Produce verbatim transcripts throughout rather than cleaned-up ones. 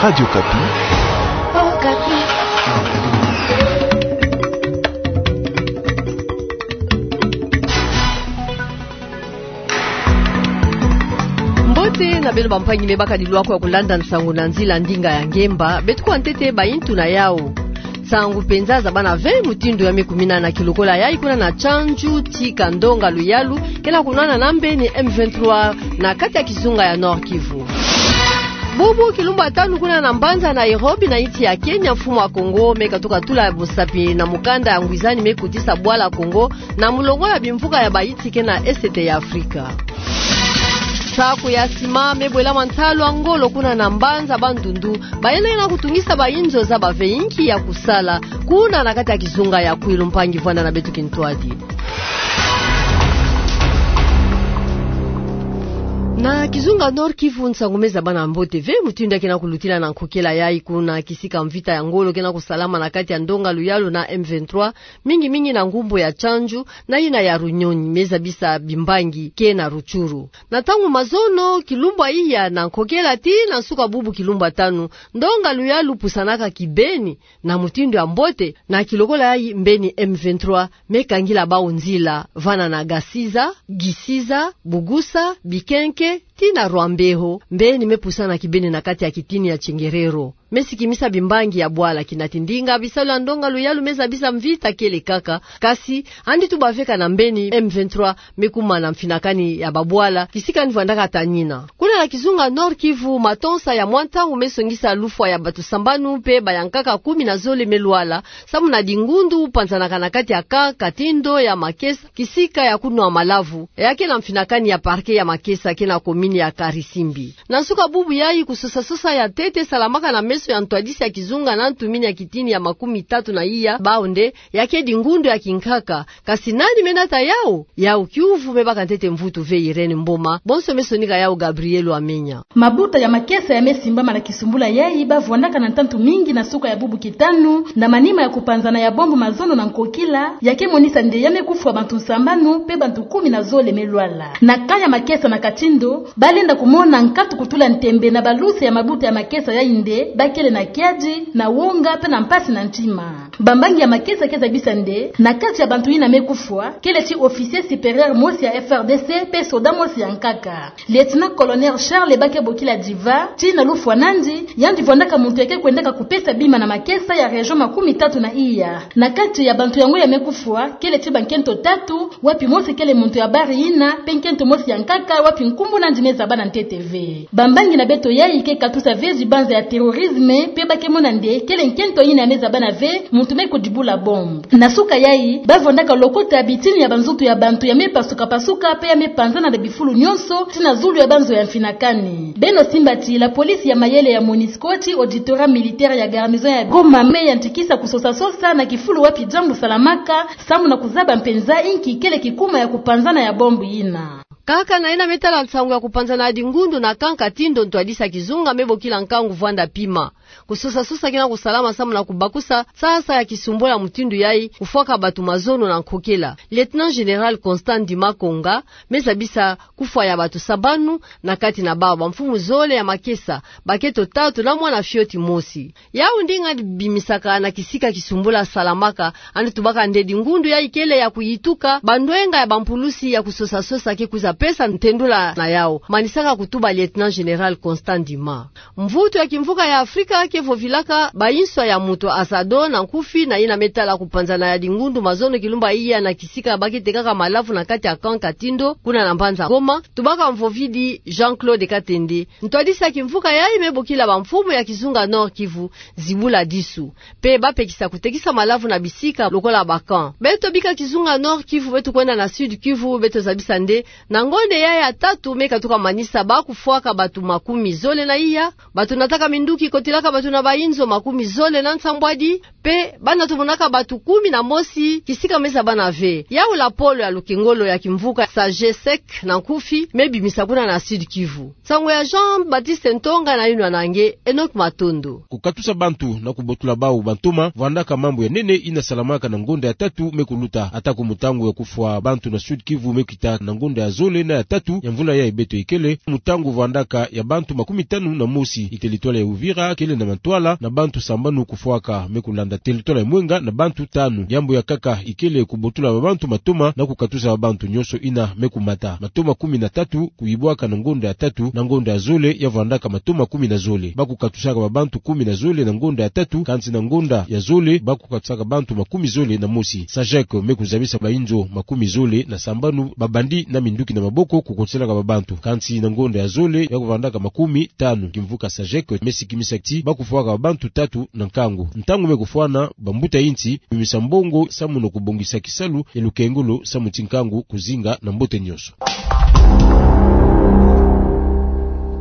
Radio Okapi. Okapi. Mbote na beno bampangi me baka dilwako ya kulanda nsangu na nzila ndinga ya ngemba, beto kwa ntete bayintu na yawu. Nsangu mpenza zabana ve mutindu ya me kumina na kilokola yayi kuna na Tchandju, tika ndonga luyalu ke na kunwana na mbeni M vingt-trois na kati ya kizunga ya Nord-Kivu. Bubu kilumbu ya tanu kuna na mbanza Nairobi na insi ya Kenya, mfumu ya Kongo me katuka tula musapi na mukanda ya ngwizani me kotisa bwala Kongo na mulongo ya bimvuka ya bayinsi ke na Est ya Afrika. Saku ya sima me bwela mantalu ya ngolo kuna na mbanza Bandundu, bayina yina kutungisa bayinzo zaba ve inki ya kusala kuna na kati ya kizunga ya Kwilu. Mpangi, vwanda na beto kintwadi. Na kizunga Nord-Kivu, nsangu me zabana mbote ve mutindu ya ke na kulutila na nkokela yayi kuna kisika mvita ya ngolo ke na kusalama na kati ya ndonga luyalu na M vingt-trois, mingi mingi na ngumbu ya Tchandju na yina ya Runyonyi, me zabisa bimbangi ke na Rutshuru. Na ntangu mazono, kilumbu ya iya na nkokela tii na nsuka bubu kilumbu ya tanu, ndonga luyalu pusanaka kibeni na mutindu ya mbote, na kilokola yayi mbeni M vingt-trois me kangila bawu nzila vana na Gasiza, Gisiza, Bugusa, Bikenke, tii na Rwambeho, mbeni me pusana kibeni na kati ya kitini ya Tchengerero. Me sikimisa bimbangi ya bwala, kina ti ndinga bisalu ya ndonga luyalu me zabisa mvita kele kaka, kasi yandi tu baveka na mbeni M vingt-trois me kuma na mfinakani ya babwala, kisika yandi vwandaka tanina. Kuna na kizunga Nord-Kivu, matonsa ya mwa ntangu me songisa lufwa ya bato sambanu mpe bayankaka kumi na zole me lwala, samu na dingundu panzanaka na kati ya camp Katindo ya Makesa, kisika ya kunwa malavu, ya ke na mfinakani ya parquet ya Makesa ke na commune ya Karisimbi. Na nsuka bubu yayi, kusosa-sosa ya ntete salamaka na meso ya ntwadisi ya kizunga na ntumini ya kitini ya makumi tatu na iya, bawu nde ya ke dingundu ya kinkaka. Kasi nani me nata yawu? Yawu kiuvu me baka ntete mvutu ve Irène Mboma, bonso me sonika yawu Gabriel Wamenya. Mabuta ya Makesa ya me simbama na kisumbula yayi, ba vwandaka na ntantu mingi na nsuka ya bubu kitanu, na manima ya kupanzana ya bombe mazono na nkokila, ya ke monisa nde ya me kufwa bantu sambanu, mpe bantu kumi na zole me lwala. Na camp ya Makesa na Katindo, ba lenda kumona nkatu kutula ntembe na baluse ya mabuta ya Makesa yayi nde ba kele na kiadi, na wonga, mpe na mpasi na ntima. Bambangi ya Makesa ke zabisa nde, na kati ya bantu yina me kufwa, kele ti officier supérieur mosi ya F R D C, mpe soda mosi ya nkaka. Lieutenant-colonel Charles Bakebokila Diva, tii na lufwa na yandi, yandi vwandaka muntu ya ke kwendaka kupesa bima na Makesa ya région makumi tatu na iya. Na kati ya bantu yango ya me kufwa, kele ti bankento tatu, wapi mosi kele muntu ya bari yina, mpe nkento mosi ya nkaka, wapi nkumbu na yandi me zabana ntete ve. Bambangi na beto yayi ke katusa ve zibanza ya terrorisme, mpe ba ke mona nde kele nkento yina ya me zabana ve muntu me kudibula bombe. Na nsuka yayi, ba vwandaka lokota bitini ya banzutu ya bantu ya me pasuka-pasuka, mpe ya me panzana na bifulu nyonso, tii na zulu ya banzo ya mfinakani. Beno simba ti la police ya mayele ya MONUSCO tii auditorat militaire ya garnison ya Goma me yantikisa kusosa-sosa na kifulu wapi diambu salamaka, samu na kuzaba mpenza inki kele kikuma ya kupanzana ya bombe yina. Kaka na yina me tala nsangu ya kupanzana ya dingundu na camp Katindo, ntwadisi ya kizunga me bokila nkangu vwanda pima. Kusosa-sosa ke na kusalama samu na kubakusa sasa ya kisumbula mutindu yayi, kufwaka bato mazono na nkokila. Lieutenant-général Constant Ndima Konga me zabisa kufwa ya bato sambanu, na kati na bawu bamfumu zole ya Makesa, baketo tatu na mwana fioti mosi. Yawu ndinga yandi bimisaka na kisika kisumbula salamaka, yandi tubaka nde dingundu yayi kele ya kuyituka bandwenga ya bampulusi ya kusosa-sosa ke kwiza pesa ntendula na yawu, manisaka kutuba lieutenant-général Constant Ndima. Mvutu ya kimvuka ya Afrika ke vovilaka bayinswa ya moto Azado na nkufi na yina me tala kupanzana ya dingundu mazono kilumbu ya iya na kisika ba ke tekaka malavu na kati ya camp Katindo, kuna na mbanza Goma, tubaka mvovidi Jean-Claude Katende, ntwadisi ya kimvuka yayi me bokila bamfumu ya kizunga Nord-Kivu zibula disu, mpe ba pekisa kutekisa malavu na bisika lokola ba camp. Beto bika kizunga Nord-Kivu, beto kwenda na Sud-Kivu, beto zabisa nde na ngonde yayi ya tatu me katuka manisa ba kufwaka bato makumi zole na iya, bato nataka minduki, kotilaka bato na bayinzo makumi zole na nsambwadi, mpe ba natomonaka bato kumi na mosi kisika me zabana ve. Yawu lapolo ya lukengolo ya kimvuka SAGESEC na nkufi me bimisa kuna na Sud-Kivu. Nsangu ya Jean-Baptiste Ntonga na yinwa na nge Enoch Matondo. Kukatusa bantu na kubotula bawu bantoma, vwandaka mambu ya nene yina salamaka na ngonda ya tatu me kuluta. Atako mutangu ya kufwa bantu na Sud-Kivu me kita na ngonda ya zole, zole na ya tatu ya mvula yayi beto ikele, mu ntangu vandaka ya bantu makumi tanu na mosi. Iteritware ya Uvira kele na mantwala na bantu sambanu kufwaka, me kulanda teritware ya Mwenga na bantu tanu. Yambu ya nkaka ikele kubotula babantu matoma na kukatusa babantu nyonso ina me kumata. Matoma kumi na tatu kuyibwaka na ngonda ya tatu na ngonda ya zole ya vandaka matoma kumi na zole. Ba kukatusaka babantu kumi na zole na ngonda ya tatu, kansi na ngonda ya zole ba kukatusaka bantu makumi zole na mosi. Sajek me kuzabisa bainzo makumi zole na sambanu, babandi na minduki na maboko kukotiselaka babantu. Kansi na ngonda ya zole ya kuvandaka makumi tanu, kimvuka Sajek me sikimisa ti ba kufwaka babantu tatu na nkangu. Ntangu me kufwana, bambuta insi bimisa mbongo samu na kubongisa kisalu ya lukengolo samu ti nkangu kuzinga na mbote nyonso.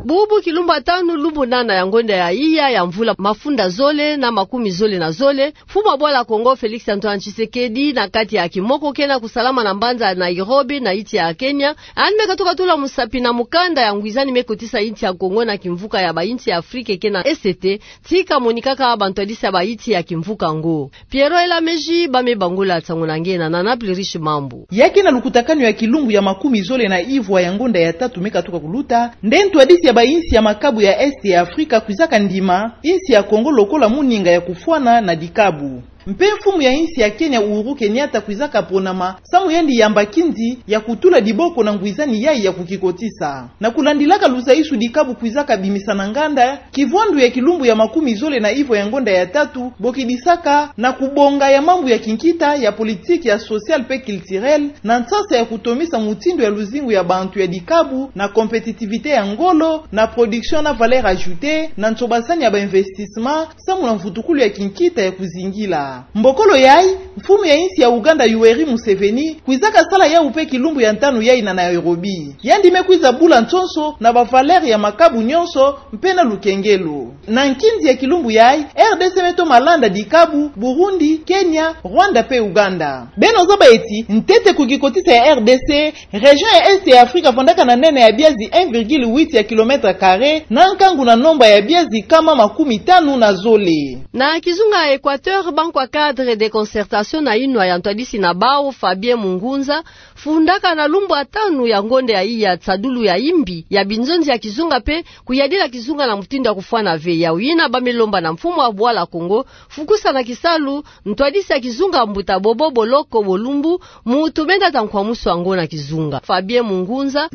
Bubu kilumbu ya tanu, lumbu nana ya ngonda ya iya ya mvula mafunda zole na makumi zole na zole, mfumu wa bwala Kongo Félix Antoine Tshisekedi, na kati ya kimoko ke na kusalama na mbanza ya Nairobi na insi ya Kenya, yandi me katuka tula musapi na mukanda ya ngwizani me kotisa insi ya Kongo na kimvuka ya bainsi ya Afrika ke na E C T, ti kamonikaka bantwadisi ya bainsi ya kimvuka yango. Pierrot Elameji ba me bangula nsangu na nge na Nana Plurish Mambu. Ya ke na lukutakanu ya kilumbu ya makumi zole na ivwa ya ngonda ya tatu me katuka kuluta, nde ntwadisi ya bainsi ya makabu ya Est ya Afrika kwizaka ndima insi ya Kongo lokola muninga ya kufwana na dikabu. Mpe mfumu ya insi ya Kenya Uhuru Kenyatta kwizaka ponama samu yandi yamba nkinzi ya kutula diboko na ngwizani yayi ya kukikotisa. Na kulandilaka lusaisu dikabu kwizaka bimisa na nganda, kivwandu ya kilumbu ya makumi zole na ivwa ya ngonda ya tatu bokidisaka na kubonga ya mambu ya kinkita, ya politique, ya social mpe culturel, na nsasa ya kutomisa mutindu ya luzingu ya bantu ya dikabu, na compétitivité ya ngolo, na production na valeur ajoutée, na nsobasani ya ba investissement, samu na mvutukulu ya kinkita ya kuzingila. Mbokolo yayi, mfumu ya insi ya Uganda Yoweri Museveni kwizaka sala yawu mpe kilumbu ya ntanu yayi na Nairobi. Yandi me kwiza bula nsonso na ba valeur ya makabu nyonso mpe na lukengelo. Na nkinzi ya kilumbu yayi, R D C me toma landa dikabu, Burundi, Kenya, Rwanda mpe Uganda. Beno zaba ti, ntete kukikotisa ya R D C, région ya Est ya Afrika vandaka na nene ya biazi un virgule huit ya kilomètre carré, na nkangu na nomba ya biazi nkama makumi tanu na zole. Na kizunga ya Équateur, bankwa cadre de concertation na inwa ya ntwadisi na bawu, Fabien Mukunza, fundaka na lumbu ya tanu ya ngonda ya iya nsadulu ya imbi ya binzonzi ya kizunga mpe kuyadila kizunga na mutindu ya kufwana ve. Yawu yina ba me lomba na mfumu wa bwala Kongo, fukusa na kisalu ntwadisi ya kizunga mbuta Bobo Boloko Bolumbu, mu tumenda ta nkwamusu yango na kizunga. Fabien Mukunza.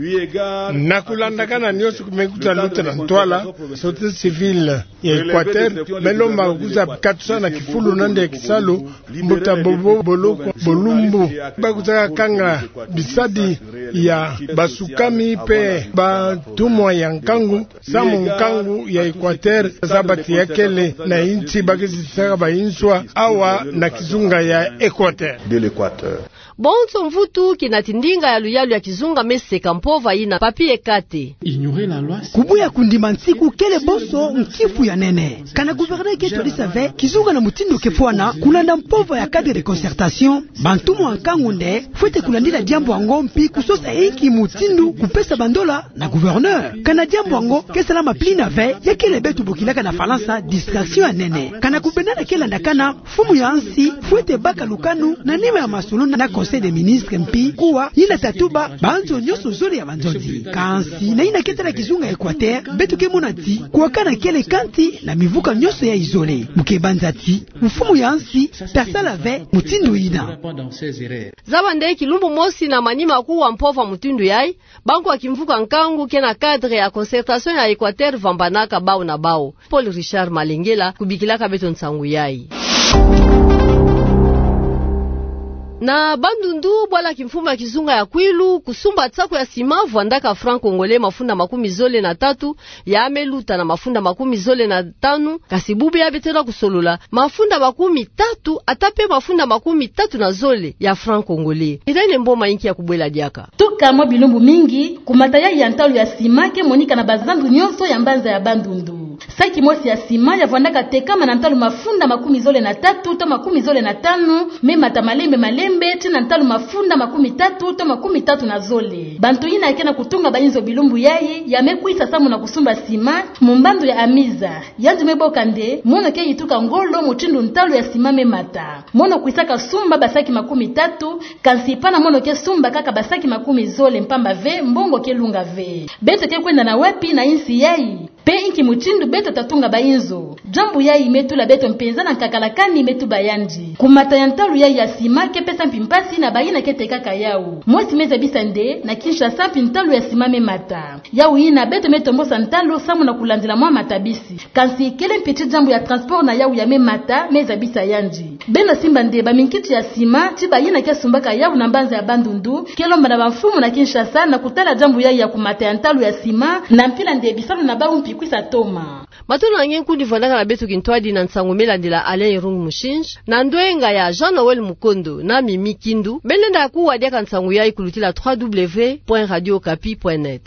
Na kulandakana nyonso me kwiza luta na ntwala, société civile ya Équateur me lomba kwiza katusa na kifulu na nde ya kisalu mbuta Bobo Boloko Bolumbu, ba kwiza kanga bisadi ya basukami mpe bantumwa ya nkangu, samu nkangu ya Équateur zaba ti ya kele na insi ba kizisaka ba inswa awa na kizunga ya Équateur. De l'Équateur. Bonso mvutu kina ti ndinga ya luyalu ya kizunga me seka mpova yina, Papy Ekate. Kubuya kundima nsiku kele bonso nkifu ya nene. Kana gouverneur ke twadisa ve kizunga na mutindu ke fwana, kulanda mpova ya cadre de concertation, bantumwa ya nkangu nde fwete kulandila diambu yango mpi kusosa inki mutindu kupesa bandola na gouverneur. Kana diambu yango ke salama pili na ve, ya kele beto bokilaka na Falansa distraction ya nene. Kana kubendana ke landakana, mfumu ya nsi fwete baka lukanu na nima ya masolo na Conseil des ministres mpi kuwa yina tatuba banzo nyonso zole ya banzonzi. Kansi na yina ke tala kizunga ya Équateur, beto ke mona ti kuwakana kele kanti na mivuka nyonso yayi zole. Mu ke banza ti mfumu ya nsi ta sala ve mutindu yina. Zaba nde kilumbu mosi na manima kuwa mpova mutindu yayi, bankwa kimvuka nkangu ke na cadre ya concertation ya Équateur vambanaka bawu na bawu. Paul Richard Malengela kubikilaka beto nsangu yayi. Na Bandundu, bwala kimfumu ya kizunga ya Kwilu kusumba nsaku ya sima vwandaka franc congolais mafunda makumi zole na tatu, ya me luta na mafunda makumi zole na tanu, kasi bubu ya beto na kusolola, mafunda makumi tatu, ata mpe mafunda makumi tatu na zole ya franc congolais. Irène Mboma inki ya kubwela diaka. Tuka mwa bilumbu mingi, kumata yayi ya ntalu ya sima ke monika na bazandu nyonso ya mbanza ya Bandundu. Saki mosi ya sima ya vwandaka tekama na ntalu mafunda makumi zole na tatu to makumi zole na tanu, me mata malembe malembe, tii na ntalu mafunda makumi tatu to makumi tatu na zole. Bantu yina ke na kutunga bainzo bilumbu yayi, ya me kwisa samu na kusumba sima, mu mbandu ya Amiza. Yandi me boka nde, mono ke yituka ngolo mutindu ntalu ya sima me mata. Mono kwisaka sumba basaki makumi tatu, kansi pana mono ke sumba kaka basaki makumi zole mpamba ve, mbongo ke lunga ve. Beto ke kwenda na wapi na insi yayi? Pe inki mutindu beto ta tunga bainzo? Diambu yayi me tula beto mpenza na nkakalakani, me tuba yandi. Kumata ya ntalu yayi ya sima ke pesa mpi mpasi na bayina ke tekaka yawu. Mosi me zabisa nde, na Kinshasa mpi ntalu ya sima me mata. Yawu yina beto me tombosa ntalu samu na kulandila mwa matabisi. Kansi kele mpi ti diambu ya transport na yawu ya me mata me zabisa yandi. Beno simba nde baminkiti ya sima, ti bayina ke sumbaka yawu na mbanza ya Bandundu, ke lomba na bamfumu na Kinshasa na kutala diambu yayi ya kumata ya ntalu ya sima, na mpila nde bisalu na bawu mpi kwisa toma. Matondo na nge nkundi vwandaka na beto kintwadi na nsangu me landila Alain Irung Mushinji, na ndwenga ya Jean Noël Mukondo na Mimi Kindu. Beno lenda kuwa diaka nsangu yayi kulutila trois W point radio okapi point net.